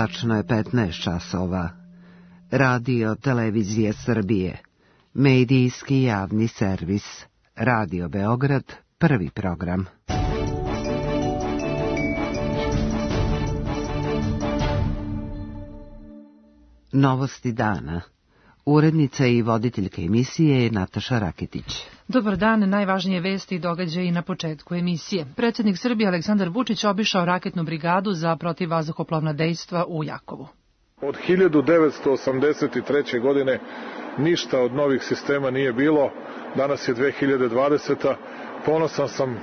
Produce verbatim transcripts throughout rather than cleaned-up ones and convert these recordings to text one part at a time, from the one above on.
Tačno je petnaest časova. Radio Televizije Srbije. Medijski javni servis. Radio Beograd, prvi program. Novosti dana. Urednica i voditeljka emisije je Nataša Raketić. Dobar dan, najvažnije vesti i događaji na početku emisije. Predsjednik Srbije Aleksandar Vučić obišao raketnu brigadu za protivvazduhoplovna dejstva u Jakovu. Od hiljadu devetsto osamdeset treće. godine ništa od novih sistema nije bilo. Danas je dve hiljade dvadeseta. Ponosan sam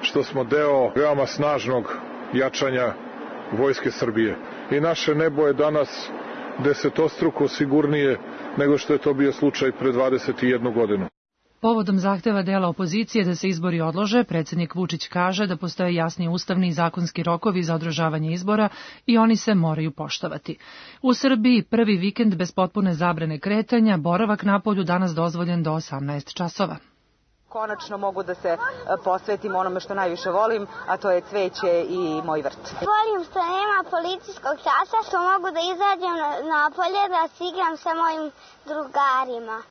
što smo deo veoma snažnog jačanja Vojske Srbije. I naše nebo je danas desetostruko sigurnije nego što je to bio slučaj pre dvadeset jednu godinu. Povodom zahteva dela opozicije da se izbori odlože, predsjednik Vučić kaže da postoje jasni ustavni i zakonski rokovi za održavanje izbora i oni se moraju poštovati. U Srbiji prvi vikend bez potpune zabrane kretanja, boravak napolju danas dozvoljen do osamnaest časova. Konačno mogu da se posvetim onome što najviše volim, a to je cveće i moj vrt. Volim što nema policijskog časa, što mogu da izađem napolje da se igram sa mojim drugarima.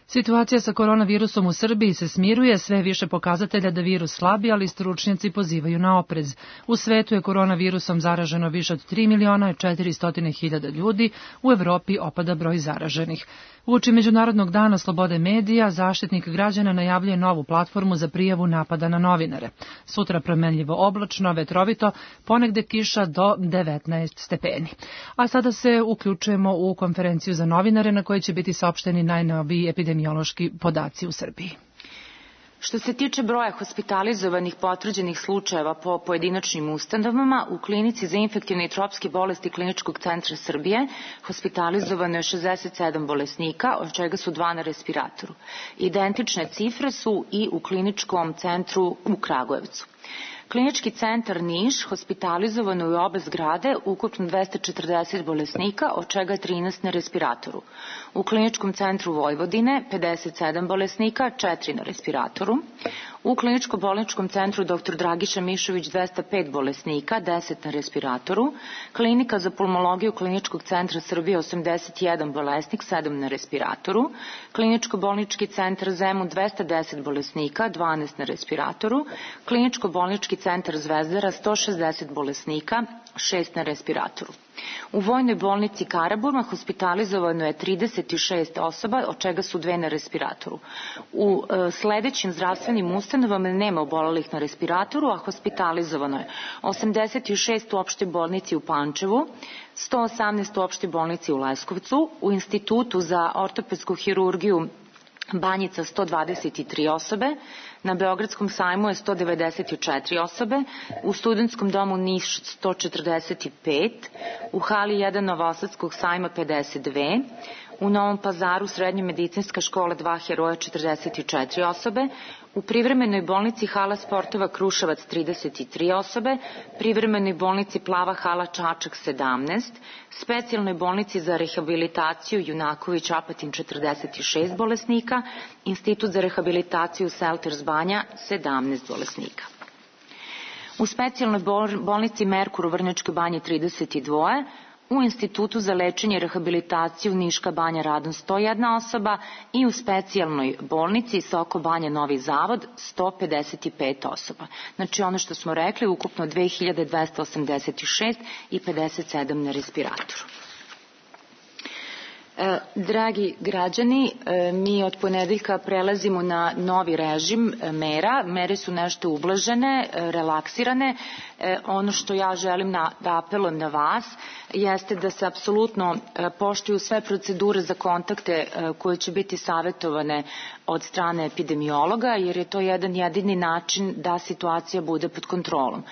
Situacija sa koronavirusom u Srbiji se smiruje, sve više pokazatelja da virus slabi, ali stručnjaci pozivaju na oprez. U svetu je koronavirusom zaraženo više od tri miliona četiristo hiljada ljudi, u Evropi opada broj zaraženih. Uoči Međunarodnog dana slobode medija, Zaštitnik građana najavljuje novu platformu za prijavu napada na novinare. Sutra promenljivo oblačno, vetrovito, ponegde kiša do devetnaest stepeni. A sada se uključujemo u konferenciju za novinare na kojoj će biti saopšteni najnoviji epidemiološki podaci u Srbiji. Što se tiče broja hospitalizovanih potvrđenih slučajeva po pojedinačnim ustanovama, u klinici za infektivne i tropske bolesti Kliničkog centra Srbije hospitalizovano je šezdeset sedam bolesnika, od čega su dva na respiratoru. Identične cifre su i u Kliničkom centru u Kragujevcu. Klinički centar Niš hospitalizovano je u obe zgrade ukupno dvesta četrdeset bolesnika, od čega trinaest na respiratoru. U Kliničkom centru Vojvodine pedeset sedam bolesnika, četiri na respiratoru. U Kliničko-bolničkom centru doktor Dragiša Mišović dvesta pet bolesnika, deset na respiratoru. Klinika za pulmologiju Kliničkog centra Srbije osamdeset jedan bolesnik, sedam na respiratoru. Kliničko-bolnički centar Zemun dvesta deset bolesnika, dvanaest na respiratoru. Kliničko-bolnički centar Zvezdara sto šezdeset bolesnika, šest na respiratoru. U Vojnoj bolnici Karaburma hospitalizovano je trideset šest osoba, od čega su dve na respiratoru. U e, sledećim zdravstvenim ustanovama nema obolelih na respiratoru, a hospitalizovano je osamdeset šest u opštoj bolnici u Pančevu, sto osamnaest u opštoj bolnici u Leskovcu, u Institutu za ortopedsku hirurgiju Banjica sto dvadeset tri osobe, na Beogradskom sajmu je sto devedeset četiri osobe, u Studentskom domu Niš sto četrdeset pet, u hali jedan Novosadskog sajma pedeset dve, u Novom Pazaru Srednja medicinska škola dva Heroja četrdeset četiri osobe, u privremenoj bolnici hala sportova Kruševac trideset tri osobe, privremenoj bolnici Plava hala Čačak sedamnaest, specijalnoj bolnici za rehabilitaciju Junaković Apatin četrdeset šest bolesnika, Institut za rehabilitaciju Selters Banja sedamnaest bolesnika. U specijalnoj bolnici Merkur u Vrnjačkoj banji trideset dva, u Institutu za lečenje i rehabilitaciju Niška banja Radan sto jedna osoba i u specijalnoj bolnici Soko banja Novi Zavod sto pedeset pet osoba. Znači ono što smo rekli, ukupno dve hiljade dvesta osamdeset šest i pedeset sedam na respiratoru. E, dragi građani, e, mi od ponedeljka prelazimo na novi režim e, mera. Mere su nešto ublažene, e, relaksirane. E, ono što ja želim na, da apelujem na vas jeste da se apsolutno e, poštuju sve procedure za kontakte e, koje će biti savjetovane od strane epidemiologa, jer je to jedan jedini način da situacija bude pod kontrolom.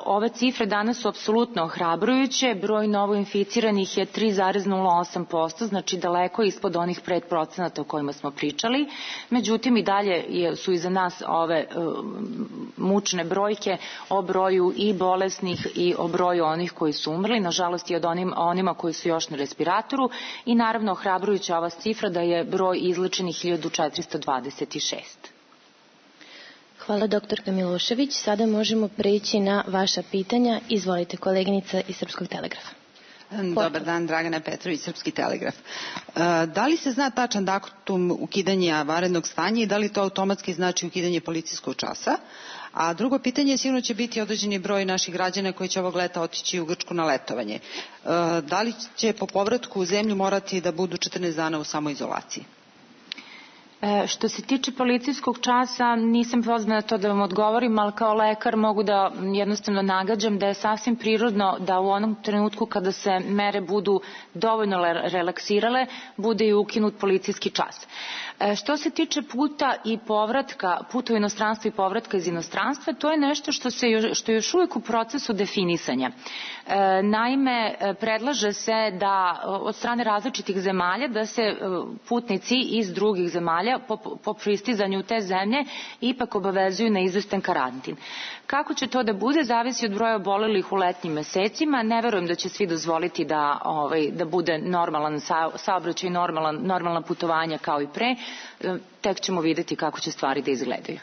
Ove cifre danas su apsolutno ohrabrujuće, broj novoinficiranih je tri zarez nula osam posto, znači daleko ispod onih pet procenata o kojima smo pričali, međutim i dalje su iza nas ove uh, mučne brojke o broju i bolesnih i o broju onih koji su umrli, nažalost i od onim, onima koji su još na respiratoru, i naravno ohrabrujuća ova cifra da je broj izlečenih hiljadu četiristo dvadeset šest. Hvala doktorka Milošević. Sada možemo preći na vaša pitanja. Izvolite, koleginica iz Srpskog telegrafa. Dobar dan, Dragana Petrović, Srpski telegraf. Da li se zna tačan datum ukidanja vanrednog stanja i da li to automatski znači ukidanje policijskog časa? A drugo pitanje, sigurno će biti određeni broj naših građana koji će ovog leta otići u Grčku na letovanje. Da li će po povratku u zemlju morati da budu četrnaest dana u samoizolaciji? Što se tiče policijskog časa, nisam pozvana to da vam odgovorim, ali kao lekar mogu da jednostavno nagađam da je sasvim prirodno da u onom trenutku kada se mere budu dovoljno relaksirale, bude i ukinut policijski čas. Što se tiče puta i povratka, puta u inostranstvo i povratka iz inostranstva, to je nešto što, se još, što je još uvijek u procesu definisanja. Naime, predlaže se da od strane različitih zemalja da se putnici iz drugih zemalja po, po pristizanju u te zemlje ipak obavezuju na izvestan karantin. Kako će to da bude, zavisi od broja obolelih u letnjim mesecima. Ne verujem da će svi dozvoliti da, ovaj, da bude normalan sa, saobraćaj, normalan, normalna putovanja kao i pre. Tek ćemo vidjeti kako će stvari da izgledaju.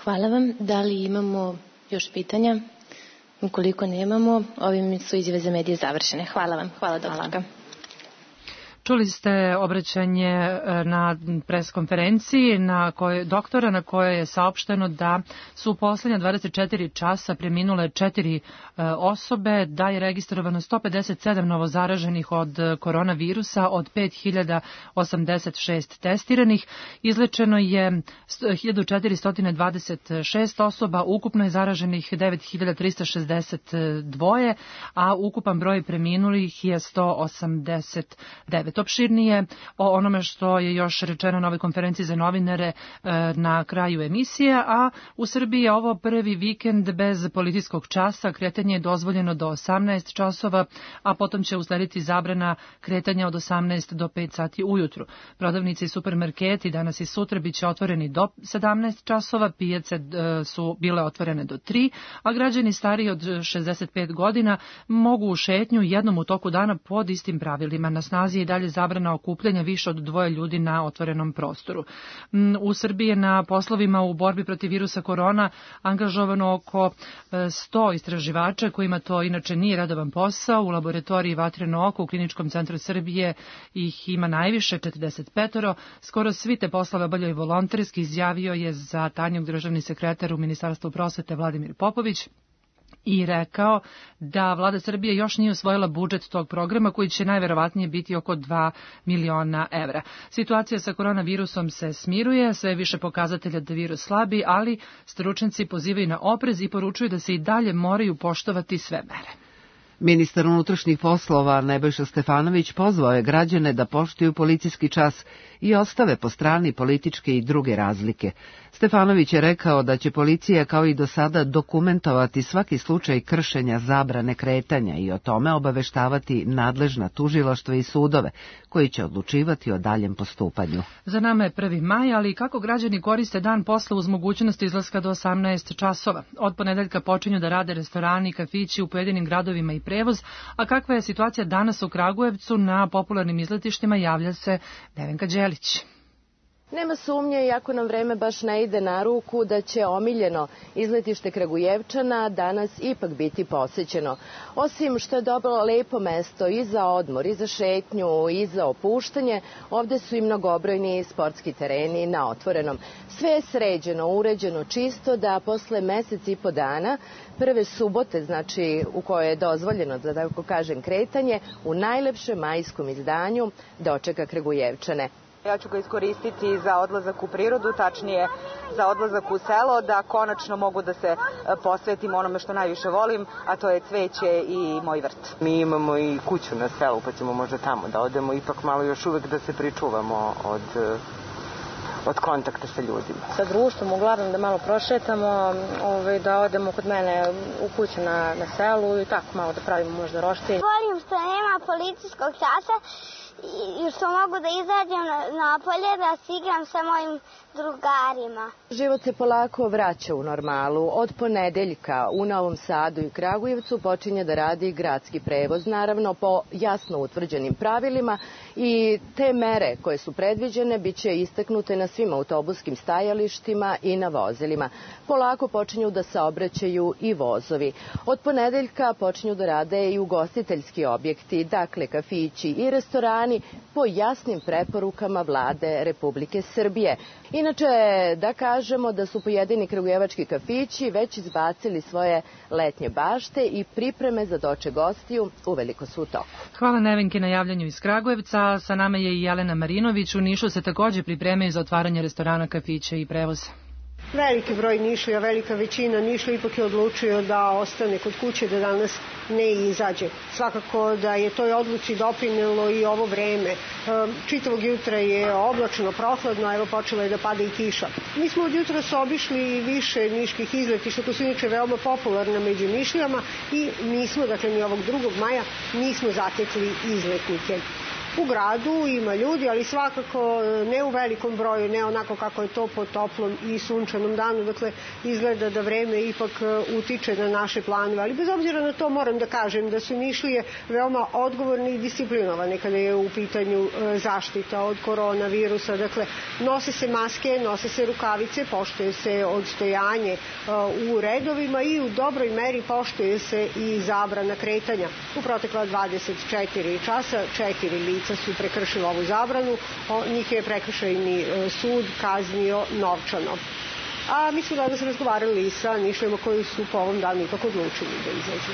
Hvala vam. Da li imamo još pitanja? Ukoliko nemamo, ovim su izjave za medije završene. Hvala vam. Hvala, doktorka. Čuli ste obraćanje na preskonferenciji na koje, doktora na kojoj je saopšteno da su u poslednja dvadeset četiri časa preminule četiri e, osobe, da je registrovano sto pedeset sedam novozaraženih od koronavirusa, od pet hiljada osamdeset šest testiranih. Izlečeno je hiljadu četiristo dvadeset šest osoba, ukupno je zaraženih devet hiljada trista šezdeset dva, a ukupan broj preminulih je sto osamdeset devet. Opširnije o onome što je još rečeno na ovoj konferenciji za novinare na kraju emisije, a u Srbiji je ovo prvi vikend bez policijskog časa. Kretanje je dozvoljeno do osamnaest časova, a potom će uslediti zabrana kretanja od osamnaest do pet sati ujutru. Prodavnice i supermarketi danas i sutra biće otvoreni do sedamnaest časova, pijace su bile otvorene do tri, a građani stariji od šezdeset pet godina mogu u šetnju jednom u toku dana pod istim pravilima. Na snazi je dalje zabrana okupljanja više od dvoje ljudi na otvorenom prostoru. U Srbiji je na poslovima u borbi protiv virusa korona angažovano oko sto istraživača kojima to inače nije redovan posao. U laboratoriji Vatreno oko u Kliničkom centru Srbije ih ima najviše, četrdeset pet. Skoro svi te poslove obavljaju volonterski, izjavio je za Tanjug državni sekretar u Ministarstvu prosvete Vladimir Popović i rekao da vlada Srbije još nije usvojila budžet tog programa koji će najverovatnije biti oko dva miliona evra. Situacija sa koronavirusom se smiruje, sve više pokazatelja da virus slabi, ali stručnjaci pozivaju na oprez i poručuju da se i dalje moraju poštovati sve mere. Ministar unutrašnjih poslova Nebojša Stefanović pozvao je građane da poštuju policijski čas i ostave po strani političke i druge razlike. Stefanović je rekao da će policija kao i do sada dokumentovati svaki slučaj kršenja zabrane kretanja i o tome obaveštavati nadležna tužilaštva i sudove, koji će odlučivati o daljem postupanju. Za nama je prvi maj, ali kako građani koriste dan posla uz mogućnost izlaska do osamnaest časova? Od ponedeljka počinju da rade restorani i kafići u pojedinim gradovima i prevoz, a kakva je situacija danas u Kragujevcu na popularnim izletištima, javlja se Nevenka Đelić. Nema sumnje, iako nam vreme baš ne ide na ruku, da će omiljeno izletište Kragujevčana danas ipak biti posećeno. Osim što je dobro lepo mesto i za odmor, i za šetnju, i za opuštanje, ovde su i mnogobrojni sportski tereni na otvorenom. Sve je sređeno, uređeno, čisto, da posle mesec i po dana, prve subote, znači u kojoj je dozvoljeno, da tako kažem, kretanje, u najlepšem majskom izdanju dočeka Kragujevčane. Ja ću ga iskoristiti za odlazak u prirodu, tačnije za odlazak u selo, da konačno mogu da se posvetim onome što najviše volim, a to je cveće i moj vrt. Mi imamo i kuću na selu, pa ćemo možda tamo da odemo, ipak malo još uvek da se pričuvamo od, od kontakta sa ljudima. Sa društvom, uglavnom da malo prošetamo, ovaj, da odemo kod mene u kuću na, na selu i tako malo da pravimo možda roštilj. Volim što nema policijskog časa i što mogu da izađem napolje, da se igram sa mojim drugarima. Život se polako vraća u normalu. Od ponedeljka u Novom Sadu i Kragujevcu počinje da radi gradski prevoz, naravno po jasno utvrđenim pravilima, i te mere koje su predviđene biće istaknute na svim autobuskim stajalištima i na vozilima. Polako počinju da saobraćaju i vozovi. Od ponedeljka počinju da rade i ugostiteljski objekti, dakle kafići i restorani po jasnim preporukama Vlade Republike Srbije. Inače, da kažemo da su pojedini kragujevački kafići već izbacili svoje letnje bašte i pripreme za doček gostiju uveliko su u toku. Hvala Nevenke na javljanju iz Kragujevca. Sa nama je i Jelena Marinović. U Nišu se takođe pripremaju za otvaranje restorana, kafića i prevoza. Veliki broj Nišlija, velika većina Nišlija ipak je odlučio da ostane kod kuće, da danas ne izađe. Svakako da je toj odluci doprinelo i ovo vreme. Čitavog jutra je oblačno, prohladno, evo počela je da pada i kiša. Mi smo od jutra se obišli više niških izletišta, to su inače veoma popularna među Nišlijama, i nismo, dakle ni ovog drugog maja, nismo zatekli izletnike. U gradu ima ljudi, ali svakako ne u velikom broju, ne onako kako je to po toplom i sunčanom danu. Dakle, izgleda da vreme ipak utiče na naše planove. Ali bez obzira na to moram da kažem da su Nišlije veoma odgovorni i disciplinovane kada je u pitanju zaštita od koronavirusa. Dakle, nose se maske, nose se rukavice, poštuje se odstojanje u redovima i u dobroj meri poštuje se i zabrana kretanja. U protekla dvadeset četiri časa četiri lica su prekršili ovu zabranu, njih je prekršajni sud kaznio novčano. A mi smo danas razgovarali sa Nišlijama koji su po ovom danu ipak odlučili da izađu.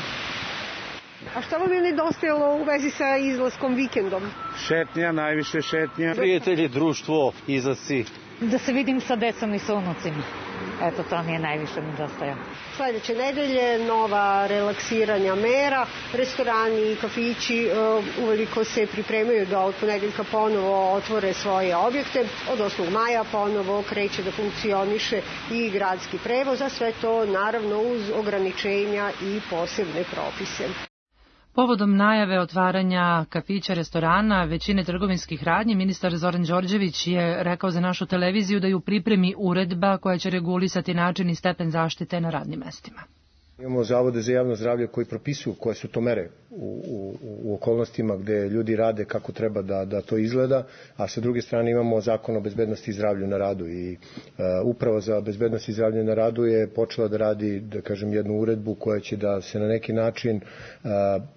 A šta vam je nedostajalo u vezi sa izlaskom vikendom? Šetnja, najviše šetnja. Prijatelji, društvo, izlasci. Da se vidim sa decom i sa unucima. Eto, to mi je najviše nedostajalo. Sledeće nedelje nova relaksiranja mera, restorani i kafići uveliko se pripremaju da od ponedeljka ponovo otvore svoje objekte. Od osmog maja ponovo kreće da funkcioniše i gradski prevoz, a sve to naravno uz ograničenja i posebne propise. Povodom najave otvaranja kafića, restorana, većine trgovinskih radnji, ministar Zoran Đorđević je rekao za našu televiziju da je u pripremi uredba koja će regulisati način i stepen zaštite na radnim mestima. Imamo zavode za javno zdravlje koji propisuju koje su to mere u, u, u okolnostima gde ljudi rade kako treba da, da to izgleda, a sa druge strane imamo zakon o bezbednosti i zdravlju na radu i e, uprava za bezbednost i zdravlje na radu je počela da radi, da kažem, jednu uredbu koja će da se na neki način e,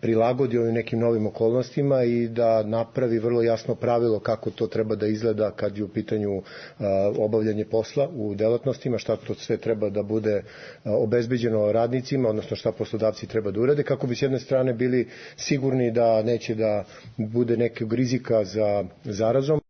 prilagodi ovim nekim novim okolnostima i da napravi vrlo jasno pravilo kako to treba da izgleda kad je u pitanju e, obavljanje posla u delatnostima, šta to sve treba da bude e, obezbeđeno radnicima, odnosno šta poslodavci treba da urade, kako bi s jedne strane bili sigurni da neće da bude nekog rizika za zarazom.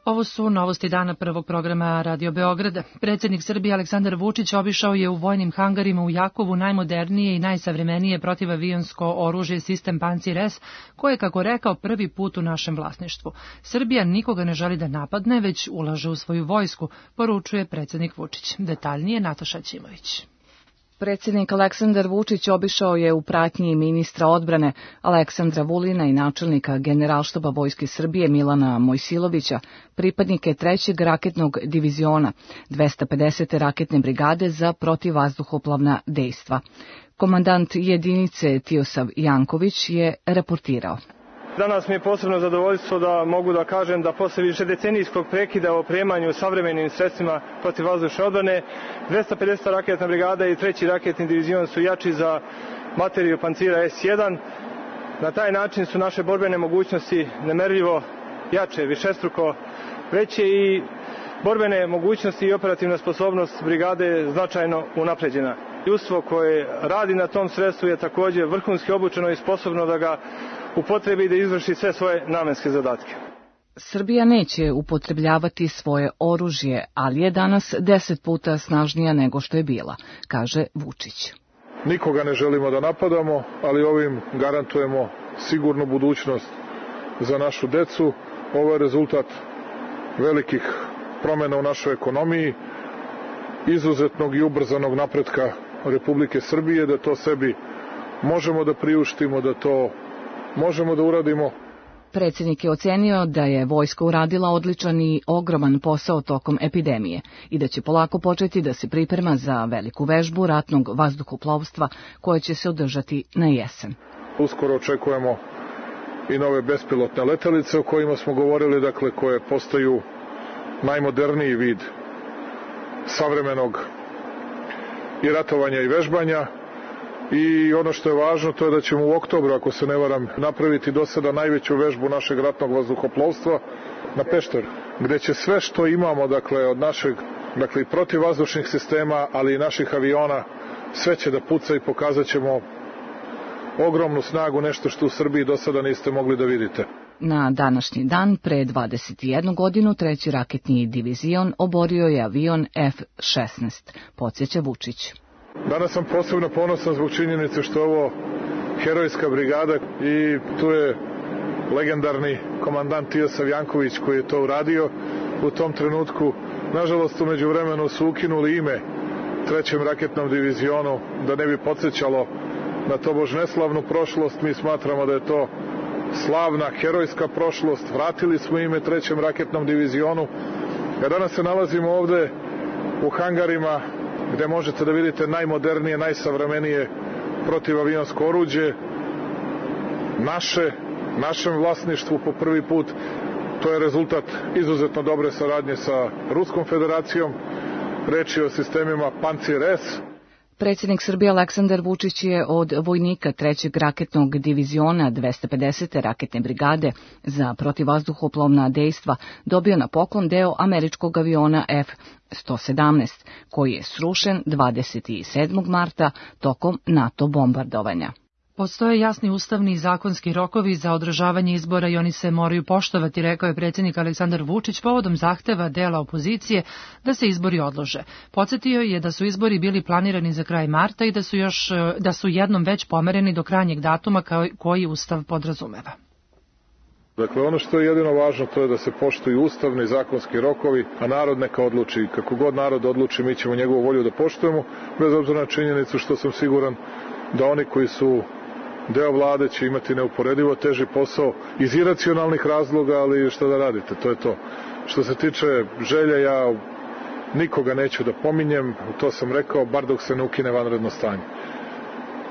Ovo su novosti dana prvog programa Radio Beograda. Predsjednik Srbije Aleksandar Vučić obišao je u vojnim hangarima u Jakovu najmodernije i najsavremenije protivavionsko oružje sistem Pancir S, koje je, kako rekao, prvi put u našem vlasništvu. Srbija nikoga ne želi da napadne, već ulaže u svoju vojsku, poručuje predsjednik Vučić. Detaljnije Nataša Ćimović. Predsjednik Aleksandar Vučić obišao je u pratnji ministra odbrane Aleksandra Vulina i načelnika Generalštaba Vojske Srbije Milana Mojsilovića, pripadnike trećeg raketnog diviziona, dvesta pedesete raketne brigade za protivvazduhoplovna dejstva. Komandant jedinice Tiosav Janković je reportirao. Danas mi je posebno zadovoljstvo da mogu da kažem da posle višedecenijskog prekida o opremanju savremenim sredstvima protivvazdušne odbrane, dvesta pedeseta raketna brigada i treći raketni divizion su jači za materiju pancira S jedan. Na taj način su naše borbene mogućnosti nemerljivo jače, višestruko veće i borbene mogućnosti i operativna sposobnost brigade značajno unapređena. Ljudstvo koje radi na tom sredstvu je takođe vrhunski obučeno i sposobno da ga upotrebi i da izvrši sve svoje namenske zadatke. Srbija neće upotrebljavati svoje oružje, ali je danas deset puta snažnija nego što je bila, kaže Vučić. Nikoga ne želimo da napadamo, ali ovim garantujemo sigurnu budućnost za našu decu. Ovo je rezultat velikih promjena u našoj ekonomiji, izuzetnog i ubrzanog napretka Republike Srbije, da to sebi možemo da priuštimo, da to možemo da uradimo. Predsjednik je ocenio da je vojska uradila odličan i ogroman posao tokom epidemije i da će polako početi da se priprema za veliku vežbu ratnog vazduhoplovstva koja će se održati na jesen. Uskoro očekujemo i nove bespilotne letelice o kojima smo govorili, dakle koje postaju najmoderniji vid savremenog i ratovanja i vežbanja. I ono što je važno, to je da ćemo u oktobru, ako se ne varam, napraviti do sada najveću vežbu našeg ratnog vazduhoplovstva na Pešteru, gde će sve što imamo, dakle, od našeg, dakle, i protivvazdušnih sistema, ali i naših aviona, sve će da puca i pokazat ćemo ogromnu snagu, nešto što u Srbiji do sada niste mogli da vidite. Na današnji dan, pre dvadeset jednu godinu, treći raketni divizion oborio je avion F šesnaest, podsjeća Vučić. Danas sam posebno ponosan zbog činjenice što je ovo herojska brigada i tu je legendarni komandant Tijasav Janković koji je to uradio u tom trenutku. Nažalost, u međuvremenu su ukinuli ime trećem raketnom divizionu da ne bi podsjećalo na tobož neslavnu prošlost. Mi smatramo da je to slavna, herojska prošlost. Vratili smo ime trećem raketnom divizionu. Ja danas se nalazimo ovde u hangarima gde možete da vidite najmodernije, najsavremenije protivavionsko oruđe, naše, našem vlasništvu po prvi put. To je rezultat izuzetno dobre saradnje sa Ruskom federacijom. Reč je o sistemima Pancir S. Predsjednik Srbije Aleksandar Vučić je od vojnika trećeg raketnog diviziona dvesta pedesete raketne brigade za protivvazduhoplovna dejstva dobio na poklon deo američkog aviona F sto sedamnaest, koji je srušen dvadeset sedmog marta tokom NATO bombardovanja. Postoje jasni ustavni i zakonski rokovi za održavanje izbora i oni se moraju poštovati, rekao je predsjednik Aleksandar Vučić povodom zahteva dela opozicije da se izbori odlože. Podsjetio je da su izbori bili planirani za kraj marta i da su još da su jednom već pomereni do krajnjeg datuma koji Ustav podrazumeva. Dakle, ono što je jedino važno to je da se poštuju ustavni i zakonski rokovi, a narod neka odluči. Kako god narod odluči, mi ćemo njegovu volju da poštujemo, bez obzira na činjenicu što sam siguran da oni koji su deo vlade će imati neuporedivo teži posao iz iracionalnih razloga, ali šta da radite, to je to. Što se tiče želja, ja nikoga neću da pominjem, to sam rekao, bar dok se ne ukine vanredno stanje.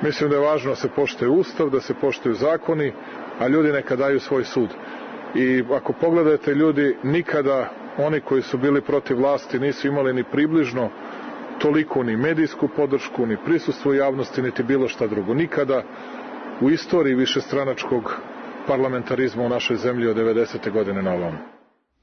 Mislim da je važno da se poštuje Ustav, da se poštuju zakoni, a ljudi neka daju svoj sud. I ako pogledate, ljudi nikada, oni koji su bili protiv vlasti, nisu imali ni približno toliko ni medijsku podršku, ni prisustvo javnosti, niti bilo šta drugo. Nikada u istoriji višestranačkog parlamentarizma u našoj zemlji od devedesete godine na ovom.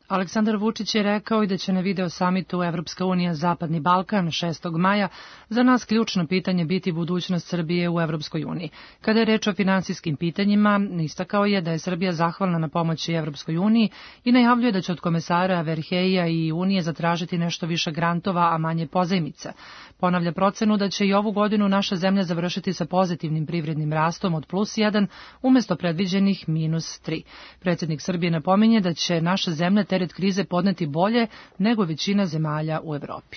Aleksandar Vučić je rekao i da će na video samitu Evropska unija Zapadni Balkan šestog maja za nas ključno pitanje biti budućnost Srbije u Evropskoj uniji. Kada je reč o finansijskim pitanjima, istakao je da je Srbija zahvalna na pomoći Evropskoj uniji i najavljuje da će od komesara Verheija i Unije zatražiti nešto više grantova, a manje pozajmica. Ponavlja procenu da će i ovu godinu naša zemlja završiti sa pozitivnim privrednim rastom od plus jedan umesto predviđenih minus tri. Predsjednik Srbije napominje da će naša zemlja teret krize podneti bolje nego većina zemalja u Evropi.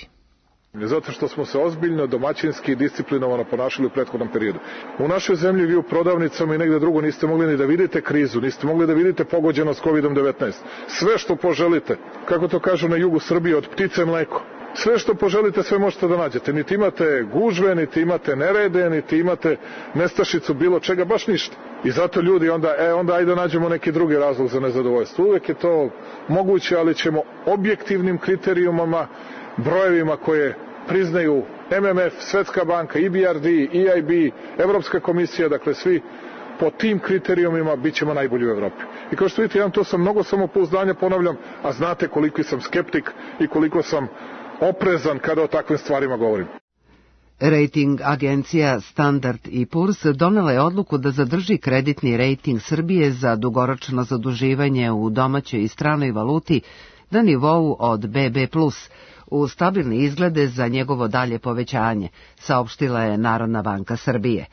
Zato što smo se ozbiljno, domaćinski i disciplinovano ponašali u prethodnom periodu. U našoj zemlji vi u prodavnicama i negde drugo niste mogli ni da vidite krizu, niste mogli da vidite pogođenost kovidom devetnaest. Sve što poželite, kako to kažu na jugu Srbije, od ptice mleko. Sve što poželite, sve možete da nađete. Niti imate gužve, niti imate nerede, niti imate nestašicu bilo čega, baš ništa. I zato ljudi onda, e, onda ajde nađemo neki drugi razlog za nezadovoljstvo. Uvek je to moguće, ali ćemo objektivnim kriterijumama, brojevima koje priznaju M M F, Svetska banka, E B R D, E I B, Evropska komisija, dakle svi po tim kriterijumima bit ćemo najbolji u Evropi. I kao što vidite, ja to sam mnogo samopouzdanja, ponavljam, a znate koliko sam skeptik i koliko sam oprezan kada o takvim stvarima govorim. Rating agencija Standard and Poor's donela je odluku da zadrži kreditni rejting Srbije za dugoročno zaduživanje u domaćoj i stranoj valuti na nivou od B B plus, u stabilne izglede za njegovo dalje povećanje, saopštila je Narodna banka Srbije.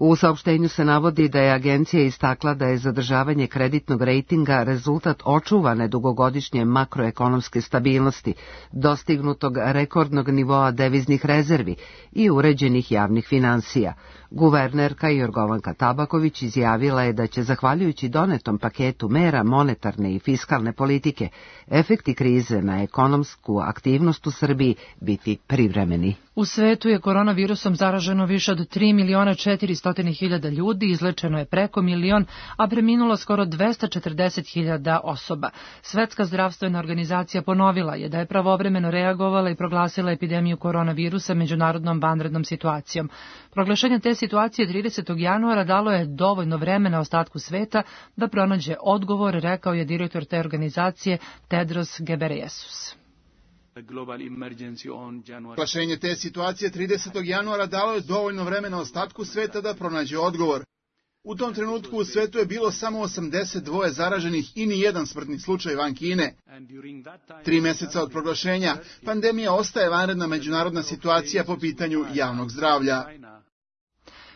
U saopštenju se navodi da je agencija istakla da je zadržavanje kreditnog rejtinga rezultat očuvane dugogodišnje makroekonomske stabilnosti, dostignutog rekordnog nivoa deviznih rezervi i uređenih javnih finansija. Guvernerka Jorgovanka Tabaković izjavila je da će, zahvaljujući donetom paketu mera monetarne i fiskalne politike, efekti krize na ekonomsku aktivnost u Srbiji biti privremeni. U svetu je koronavirusom zaraženo više od tri miliona četiristo hiljada ljudi, izlečeno je preko milion, a preminulo skoro dvesta četrdeset hiljada osoba. Svetska zdravstvena organizacija ponovila je da je pravovremeno reagovala i proglasila epidemiju koronavirusa međunarodnom vanrednom situacijom. Proglašenje te situacije tridesetog januara dalo je dovoljno vremena ostatku sveta da pronađe odgovor, rekao je direktor te organizacije Tedros Ghebreyesus. Proglašenje te situacije tridesetog januara dalo je dovoljno vremena ostatku sveta da pronađe odgovor. U tom trenutku u svetu je bilo samo osamdeset dva zaraženih i ni jedan smrtni slučaj van Kine. Tri meseca od proglašenja pandemija ostaje vanredna međunarodna situacija po pitanju javnog zdravlja.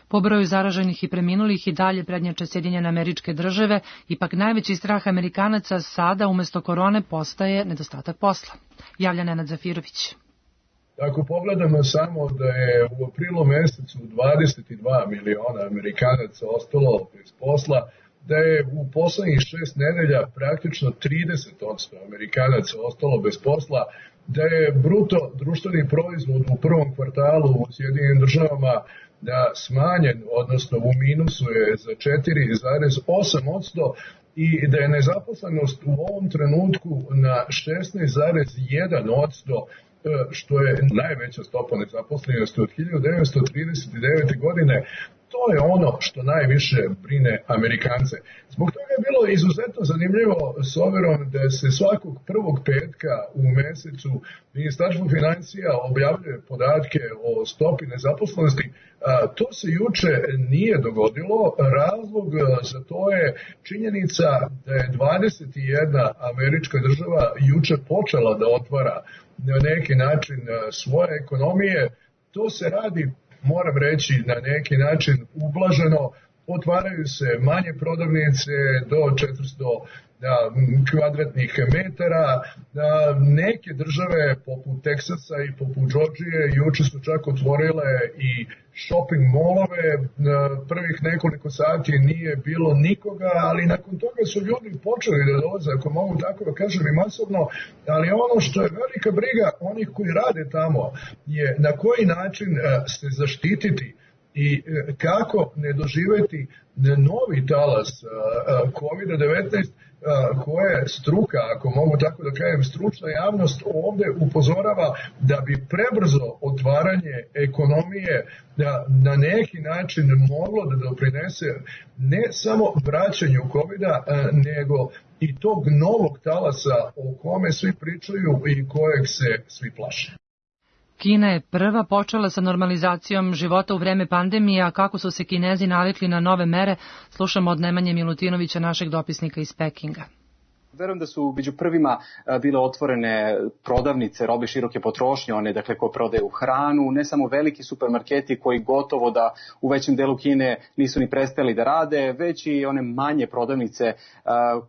Po broju zaraženih i preminulih i dalje prednjače Sjedinjene Američke Države, ipak najveći strah Amerikanaca sada umesto korone postaje nedostatak posla. Javlja Nenad Zafirović. Ako pogledamo samo da je u aprilu mesecu dvadeset dva miliona Amerikanaca ostalo bez posla, da je u poslednjih šest nedelja praktično trideset posto Amerikanaca ostalo bez posla, da je bruto društveni proizvod u prvom kvartalu u Sjedinjenim Državama da smanjen, odnosno u minusu je za četiri zarez osam posto i da je nezaposlenost u ovom trenutku na šesnaest zarez jedan posto, što je najveća stopa nezaposlenosti od hiljadu devetsto trideset devete. godine. To je ono što najviše brine Amerikance. Zbog toga je bilo izuzetno zanimljivo s obzirom da se svakog prvog petka u mesecu Ministarstvo financija objavljuje podatke o stopi nezaposlenosti. To se juče nije dogodilo. Razlog za to je činjenica da je dvadeset jedna američka država juče počela da otvara na neki način svoje ekonomije. To se radi, moram reći, na neki način ublaženo. Otvaraju se manje prodavnice do četiristo kvadratnih metara. Neke države poput Teksasa i poput Džordžije juče su čak otvorile i shopping molove. Prvih nekoliko sati nije bilo nikoga, ali nakon toga su ljudi počeli da dolaze, ako mogu tako da kažem, i masovno. Ali ono što je velika briga onih koji rade tamo je na koji način se zaštititi i kako ne doživeti novi talas kovid devetnaest koje struka, ako mogu tako da kažem, stručna javnost ovde upozorava da bi prebrzo otvaranje ekonomije da na neki način moglo da doprinese ne samo vraćanju kovida, nego i tog novog talasa o kome svi pričaju i kojeg se svi plaše. Kina je prva počela sa normalizacijom života u vreme pandemije, a kako su se Kinezi navikli na nove mere, slušamo od Nemanje Milutinovića, našeg dopisnika iz Pekinga. Verujem da su među prvima bile otvorene prodavnice robe široke potrošnje, one dakle koje prodaju hranu, ne samo veliki supermarketi koji gotovo da u većem delu Kine nisu ni prestali da rade, već i one manje prodavnice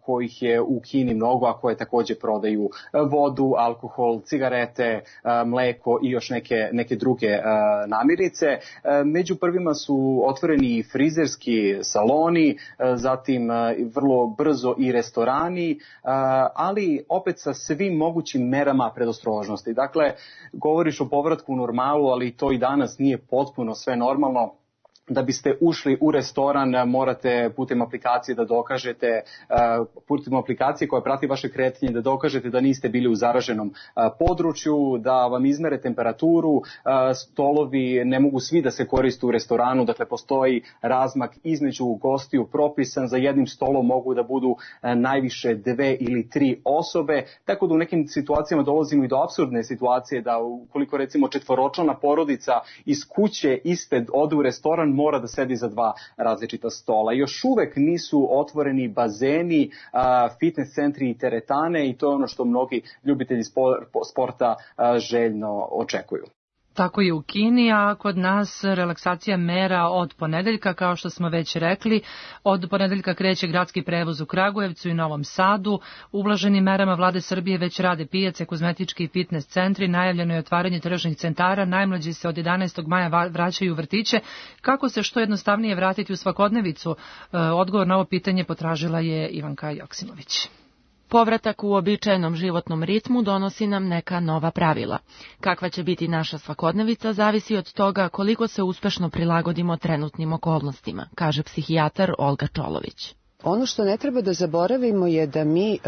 kojih je u Kini mnogo, a koje takođe prodaju vodu, alkohol, cigarete, mleko i još neke, neke druge namirnice. Među prvima su otvoreni i frizerski saloni, zatim vrlo brzo i restorani, ali opet sa svim mogućim merama predostrožnosti. Dakle, govoriš o povratku u normalu, ali to i danas nije potpuno sve normalno. Da biste ušli u restoran, morate putem aplikacije da dokažete, putem aplikacije koja prati vaše kretanje, da dokažete da niste bili u zaraženom području, da vam izmere temperaturu, stolovi ne mogu svi da se koriste u restoranu, dakle postoji razmak između gostiju propisan, za jednim stolom mogu da budu najviše dve ili tri osobe, tako da u nekim situacijama dolazimo i do apsurdne situacije da ukoliko recimo četvoročlana porodica iz kuće iste ode u restoran, mora da sedi za dva različita stola. Još uvek nisu otvoreni bazeni, fitness centri i teretane i to je ono što mnogi ljubitelji sporta željno očekuju. Tako je u Kini, a kod nas relaksacija mera od ponedeljka, kao što smo već rekli. Od ponedeljka kreće gradski prevoz u Kragujevcu i Novom Sadu. Ublaženim merama vlade Srbije već rade pijace, kozmetički i fitness centri. Najavljeno je otvaranje tržnih centara. Najmlađi se od jedanaestog maja vraćaju u vrtiće. Kako se što jednostavnije vratiti u svakodnevicu? Odgovor na ovo pitanje potražila je Ivanka Joksimović. Povratak u običajenom životnom ritmu donosi nam neka nova pravila. Kakva će biti naša svakodnevica zavisi od toga koliko se uspešno prilagodimo trenutnim okolnostima, kaže psihijatar Olga Čolović. Ono što ne treba da zaboravimo je da mi e,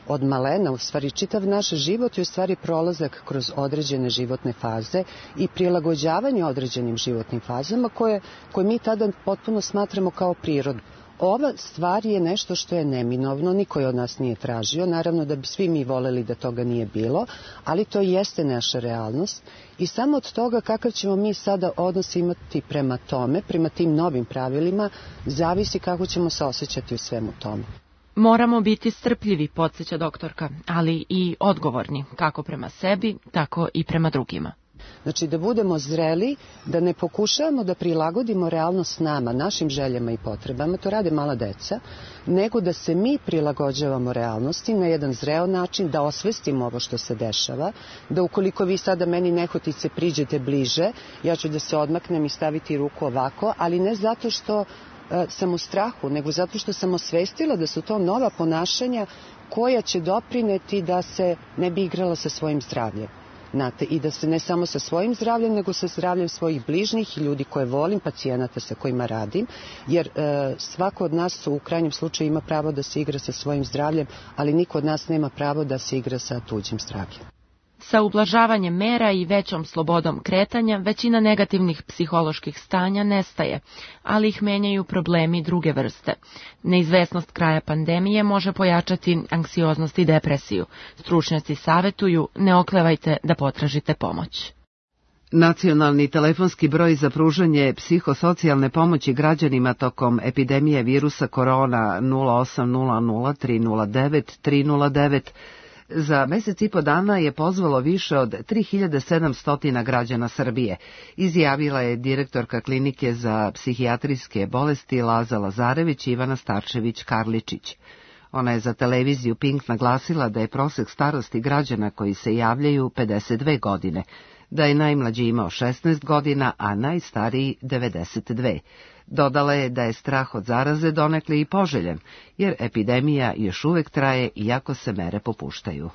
od malena, u stvari čitav naš život je u stvari prolazak kroz određene životne faze i prilagođavanje određenim životnim fazama koje, koje mi tada potpuno smatramo kao prirodu. Ova stvar je nešto što je neminovno, niko je od nas nije tražio, naravno da bi svi mi voleli da toga nije bilo, ali to jeste naša realnost i samo od toga kakav ćemo mi sada odnos imati prema tome, prema tim novim pravilima, zavisi kako ćemo se osjećati u svemu tome. Moramo biti strpljivi, podsjeća doktorka, ali i odgovorni, kako prema sebi, tako i prema drugima. Znači da budemo zreli, da ne pokušavamo da prilagodimo realnost nama, našim željama i potrebama, to rade mala deca, nego da se mi prilagođavamo realnosti na jedan zreo način, da osvestimo ovo što se dešava, da ukoliko vi sada meni nehotice priđete bliže, ja ću da se odmaknem i staviti ruku ovako, ali ne zato što e, sam u strahu, nego zato što sam osvestila da su to nova ponašanja koja će doprineti da se ne bi igrala sa svojim zdravljem. Znate, i da se ne samo sa svojim zdravljem, nego sa zdravljem svojih bližnjih i ljudi koje volim, pacijenata sa kojima radim, jer e, svako od nas u krajnjem slučaju ima pravo da se igra sa svojim zdravljem, ali niko od nas nema pravo da se igra sa tuđim zdravljem. Sa ublažavanjem mera i većom slobodom kretanja, većina negativnih psiholoških stanja nestaje, ali ih menjaju problemi druge vrste. Neizvesnost kraja pandemije može pojačati anksioznost i depresiju. Stručnjaci savetuju, ne oklevajte da potražite pomoć. Nacionalni telefonski broj za pružanje psihosocijalne pomoći građanima tokom epidemije virusa korona nula osam nula nula tri nula devet tri nula devet za mesec i po dana je pozvalo više od tri hiljade sedamsto građana Srbije, izjavila je direktorka klinike za psihijatrijske bolesti Laza Lazarević Ivana Starčević-Karličić. Ona je za televiziju Pink naglasila da je prosek starosti građana koji se javljaju pedeset dve godine, da je najmlađi imao šesnaest godina, a najstariji devedeset dve. Dodala je da je strah od zaraze donekle i poželjen, jer epidemija još uvek traje iako se mere popuštaju.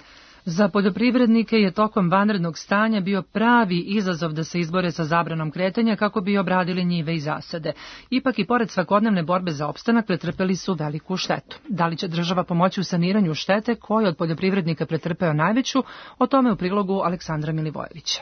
Za poljoprivrednike je tokom vanrednog stanja bio pravi izazov da se izbore sa zabranom kretanja kako bi obradili njive i zasade. Ipak i pored svakodnevne borbe za opstanak pretrpeli su veliku štetu. Da li će država pomoći u saniranju štete koji od poljoprivrednika pretrpeo najveću, o tome u prilogu Aleksandra Milivojevića.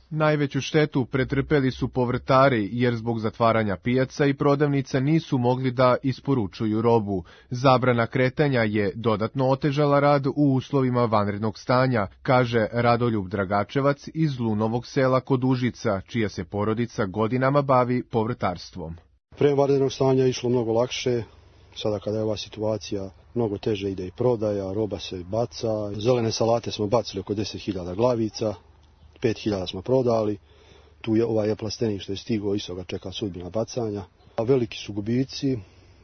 Najveću štetu pretrpeli su povrtari, jer zbog zatvaranja pijaca i prodavnica nisu mogli da isporučuju robu. Zabrana kretanja je dodatno otežala rad u uslovima vanrednog stanja, kaže Radoljub Dragačevac iz Lunovog sela kod Užica, čija se porodica godinama bavi povrtarstvom. Pre vanrednog stanja je išlo mnogo lakše, sada kada je ova situacija mnogo teže ide i prodaja, roba se baca, zelene salate smo bacili oko deset hiljada glavica, pet hiljada smo prodali, tu je ovaj plastenik što je stigao, isto ga čeka sudbina bacanja. A veliki su gubici,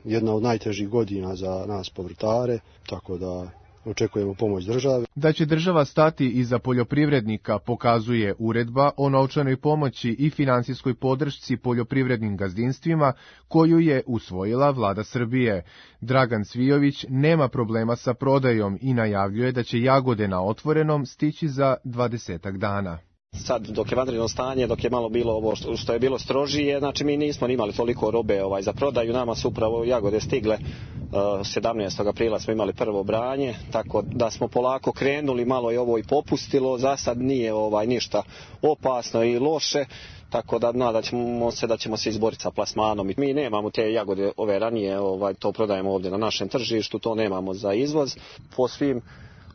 jedna od najtežih godina za nas povrtare, tako da očekujemo pomoć države. Da će država stati iza poljoprivrednika pokazuje uredba o novčanoj pomoći i finansijskoj podršci poljoprivrednim gazdinstvima koju je usvojila vlada Srbije. Dragan Cvijović nema problema sa prodajom i najavljuje da će jagode na otvorenom stići za dvadesetak dana. Sad dok je vanredno stanje, dok je malo bilo ovo što, što je bilo strožije, znači mi nismo imali toliko robe ovaj, za prodaju, nama su upravo jagode stigle, uh, sedamnaestog aprila smo imali prvo branje, tako da smo polako krenuli, malo je ovo i popustilo, za sad nije ovaj, ništa opasno i loše, tako da nadat ćemo se da ćemo se izboriti sa plasmanom. Mi nemamo te jagode ove ranije, ovaj, to prodajemo ovdje na našem tržištu, to nemamo za izvoz, po svim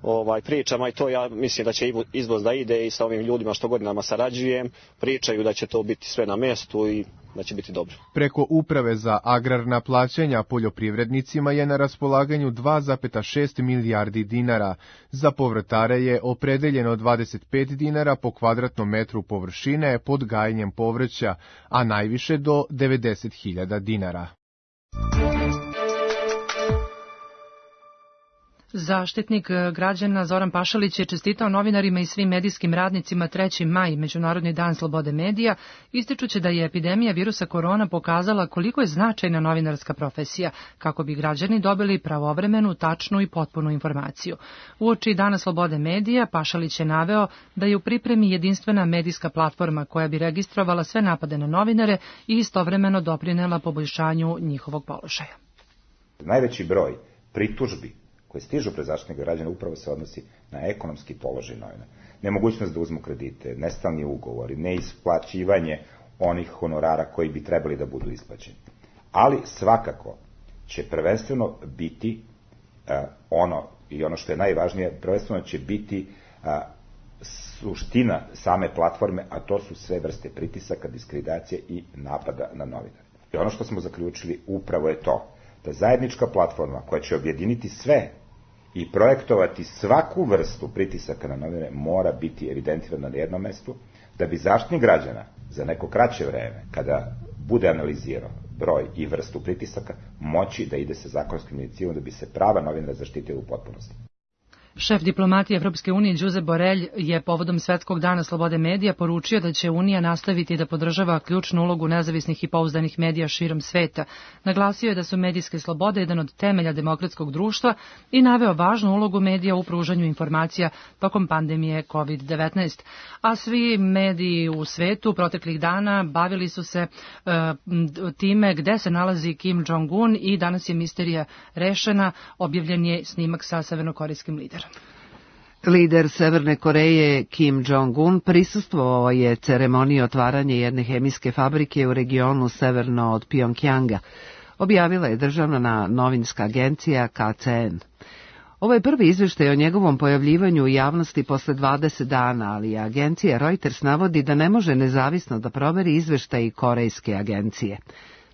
ovaj, pričama i to ja mislim da će izvoz da ide i sa ovim ljudima što godinama sarađujem, pričaju da će to biti sve na mjestu i da će biti dobro. Preko Uprave za agrarna plaćanja poljoprivrednicima je na raspolaganju dva zarez šest milijardi dinara. Za povrtare je opredeljeno dvadeset pet dinara po kvadratnom metru površine pod gajenjem povrća, a najviše do devedeset hiljada dinara. Zaštitnik građana Zoran Pašalić je čestitao novinarima i svim medijskim radnicima treći maj, Međunarodni dan slobode medija, ističući da je epidemija virusa korona pokazala koliko je značajna novinarska profesija, kako bi građani dobili pravovremenu, tačnu i potpunu informaciju. Uoči Dana slobode medija, Pašalić je naveo da je u pripremi jedinstvena medijska platforma koja bi registrovala sve napade na novinare i istovremeno doprinela poboljšanju njihovog položaja. Najveći broj pritužbi koje stižu pred Zaštitnika građana upravo se odnosi na ekonomski položaj novinara. Nemogućnost da uzmu kredite, nestalni ugovori, neisplaćivanje onih honorara koji bi trebali da budu isplaćeni. Ali svakako će prvenstveno biti uh, ono, i ono što je najvažnije, prvenstveno će biti uh, suština same platforme, a to su sve vrste pritisaka, diskreditacije i napada na novinare. I ono što smo zaključili upravo je to, da zajednička platforma koja će objediniti sve i projektovati svaku vrstu pritisaka na novinare mora biti evidentirana na jednom mestu, da bi Zaštitnik građana za neko kraće vreme, kada bude analizirao broj i vrstu pritisaka, moći da ide sa zakonskim inicijativom da bi se prava novinara zaštitila u potpunosti. Šef diplomatije Evropske unije Josep Borrell je povodom Svetskog dana slobode medija poručio da će Unija nastaviti da podržava ključnu ulogu nezavisnih i pouzdanih medija širom sveta. Naglasio je da su medijske slobode jedan od temelja demokratskog društva i naveo važnu ulogu medija u pružanju informacija tokom pandemije kovid devetnaest. A svi mediji u svetu proteklih dana bavili su se uh, time gde se nalazi Kim Jong-un i danas je misterija rešena, objavljen je snimak sa severnokorejskim liderom. Lider Severne Koreje Kim Jong-un prisustvovao je ceremoniji otvaranja jedne hemijske fabrike u regionu severno od Pjongjanga, objavila je državna novinska agencija K C N. Ovo je prvi izveštaj o njegovom pojavljivanju u javnosti posle dvadeset dana, ali agencija Reuters navodi da ne može nezavisno da proveri izveštaj korejske agencije.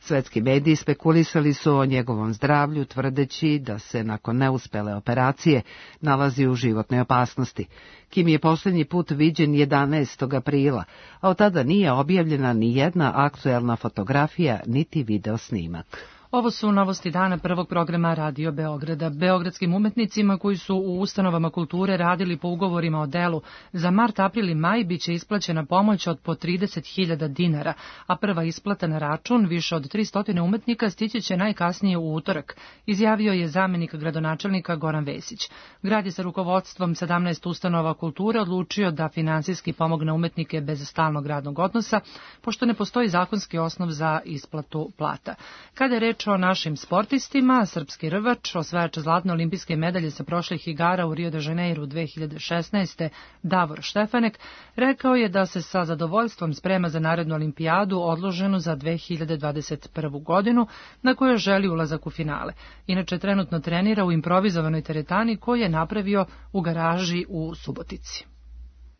Svetski mediji spekulisali su o njegovom zdravlju, tvrdeći da se nakon neuspele operacije nalazi u životnoj opasnosti. Kim je posljednji put viđen jedanaestog aprila, a od tada nije objavljena ni jedna aktuelna fotografija niti video snimak. Ovo su novosti dana prvog programa Radio Beograda. Beogradskim umetnicima koji su u ustanovama kulture radili po ugovorima o delu za mart, april i maj biće isplaćena pomoć od po trideset hiljada dinara, a prva isplata na račun više od tristo umetnika stići će najkasnije u utorak, izjavio je zamenik gradonačelnika Goran Vesić. Grad je sa rukovodstvom sedamnaest ustanova kulture odlučio da finansijski pomogne umetnike bez stalnog radnog odnosa, pošto ne postoji zakonski osnov za isplatu plata. Kada je reč o našim sportistima, srpski rvač, osvajač zlatne olimpijske medalje sa prošlih igara u Rio de Janeiru dve hiljade šesnaeste. Davor Štefanek, rekao je da se sa zadovoljstvom sprema za narednu olimpijadu odloženu za dve hiljade dvadeset prvu godinu, na kojoj želi ulazak u finale. Inače, trenutno trenira u improvizovanoj teretani koju je napravio u garaži u Subotici.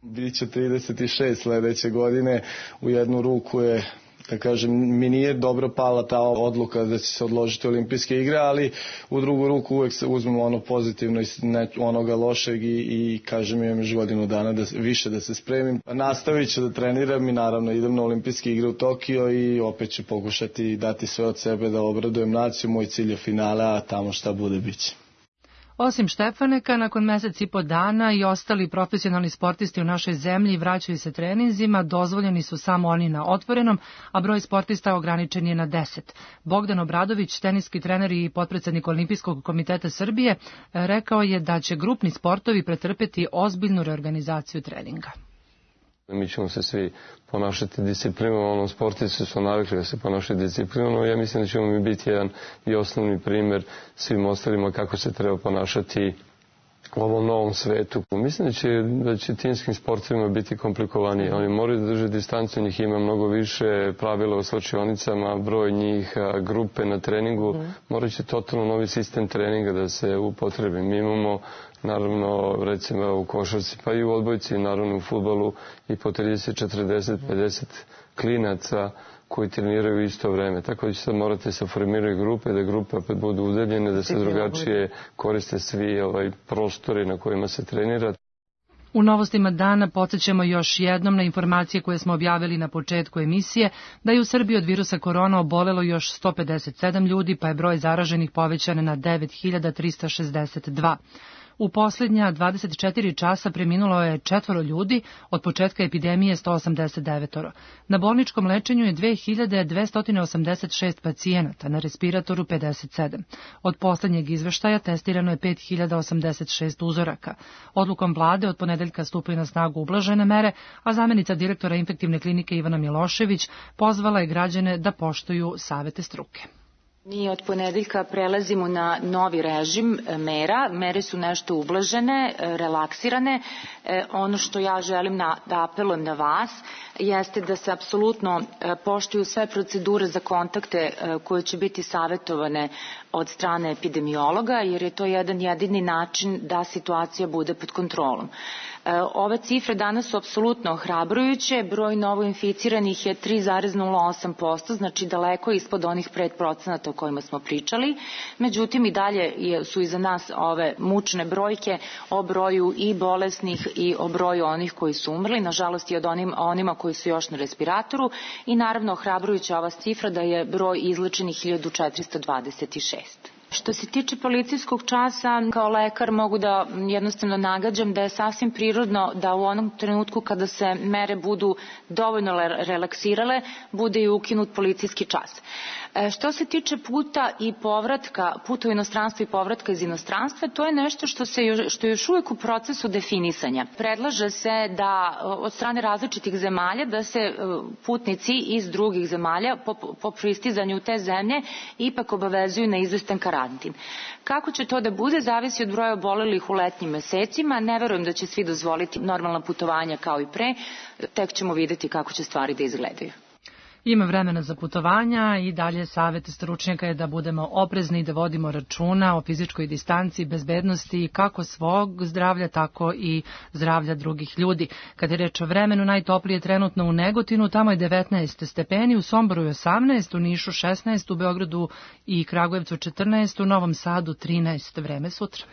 Biće trideset šest sledeće godine, u jednu ruku je, da kažem, mi nije dobro pala ta odluka da će se odložiti olimpijske igre, ali u drugu ruku uvek se uzmemo ono pozitivno i onoga lošeg i, i kažem, imam još godinu dana da, više da se spremim. Nastavit ću da treniram i naravno idem na olimpijske igre u Tokio i opet ću pokušati dati sve od sebe da obradujem naciju. Moj cilj je finale, a tamo šta bude biće. Osim Štefaneka, nakon mesec i po dana i ostali profesionalni sportisti u našoj zemlji vraćaju se treninzima, dozvoljeni su samo oni na otvorenom, a broj sportista ograničen je na deset. Bogdan Obradović, teniski trener i potpredsednik Olimpijskog komiteta Srbije, rekao je da će grupni sportovi pretrpeti ozbiljnu reorganizaciju treninga. Mi ćemo se svi ponašati disciplinovano, ono, sportisti su navikli da se ponašaju disciplinovano. Ja mislim da ćemo mi biti jedan i osnovni primer svim ostalima kako se treba ponašati u ovom novom svetu. Mislim da će, da će timskim sportovima biti komplikovanije. Oni moraju da drže distancu, njih ima mnogo više, pravila u slačionicama, broj njih, grupe na treningu. Morat će totalno novi sistem treninga da se upotrebi. Mi imamo, naravno, recimo u košarci, pa i u odbojci, naravno u fudbalu i po trideset, četrdeset, pedeset klinaca koji treniraju u isto vreme. Tako da će sad morate se formiraju grupe, da grupe opet budu udaljene, da se drugačije koriste svi ovaj prostori na kojima se trenira. U novostima dana podsjećamo još jednom na informacije koje smo objavili na početku emisije da je u Srbiji od virusa korona obolelo još sto pedeset sedam ljudi, pa je broj zaraženih povećan na devet hiljada trista šezdeset dva. U posljednja dvadeset četiri časa preminulo je četvoro ljudi, od početka epidemije sto osamdeset devet. Na bolničkom lečenju je dve hiljade dvesta osamdeset šest pacijenata, na respiratoru pedeset sedam. Od posljednjeg izveštaja testirano je pet hiljada osamdeset šest uzoraka. Odlukom vlade od ponedeljka stupaju na snagu ublažene mere, a zamenica direktora infektivne klinike Ivana Milošević pozvala je građane da poštuju savete struke. Mi od ponedeljka prelazimo na novi režim mera. Mere su nešto ublažene, relaksirane. Ono što ja želim na, da apelujem na vas jeste da se apsolutno poštuju sve procedure za kontakte koje će biti savjetovane od strane epidemiologa, jer je to jedan jedini način da situacija bude pod kontrolom. Ove cifre danas su apsolutno ohrabrujuće. Broj novoinficiranih je tri zarez nula osam posto, znači daleko ispod onih pet procenata o kojima smo pričali. Međutim, i dalje su iza nas ove mučne brojke o broju i bolesnih i o broju onih koji su umrli, nažalost i od onim, onima koji su još na respiratoru, i naravno ohrabrujuća ova cifra da je broj izlečenih hiljadu četiristo dvadeset šest. Što se tiče policijskog časa, kao lekar mogu da jednostavno nagađam da je sasvim prirodno da u onom trenutku kada se mere budu dovoljno relaksirale, bude i ukinut policijski čas. Što se tiče puta i povratka, puta u inostranstvo i povratka iz inostranstva, to je nešto što, se, što je još uvijek u procesu definisanja. Predlaže se da od strane različitih zemalja da se putnici iz drugih zemalja po, po pristizanju u te zemlje ipak obavezuju na izvestan karantin. Kako će to da bude, zavisi od broja obolelih u letnjim mesecima. Ne verujem da će svi dozvoliti normalna putovanja kao i pre, tek ćemo vidjeti kako će stvari da izgledaju. Ima vremena za putovanja i dalje savjet stručnjaka je da budemo oprezni i da vodimo računa o fizičkoj distanci, bezbednosti kako svog zdravlja, tako i zdravlja drugih ljudi. Kad je reč o vremenu, najtoplije trenutno u Negotinu, tamo je devetnaest stepeni, u Somboru je osamnaest, u Nišu šesnaest, u Beogradu i Kragujevcu četrnaest, u Novom Sadu trinaest. Vreme sutra.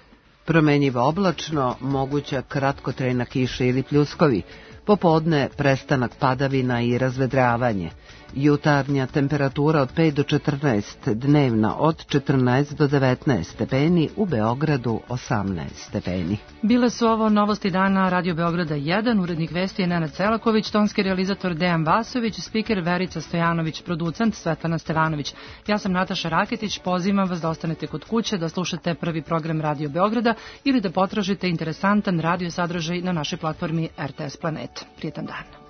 Promenjivo oblačno, moguća kratkotrajna kiša ili pljuskovi. Popodne prestanak padavina i razvedravanje. Jutarnja temperatura od pet do četrnaest, dnevna od četrnaest do devetnaest stepeni, u Beogradu osamnaest stepeni. Bile su ovo novosti dana Radio Beograda jedan, urednik vesti je Nenad Celaković, tonski realizator Dejan Vasović, spiker Verica Stojanović, producent Svetlana Stevanović. Ja sam Nataša Raketić, pozivam vas da ostanete kod kuće, da slušate prvi program Radio Beograda ili da potražite interesantan radio sadržaj na našoj platformi R T S Planet. Prijetan dan.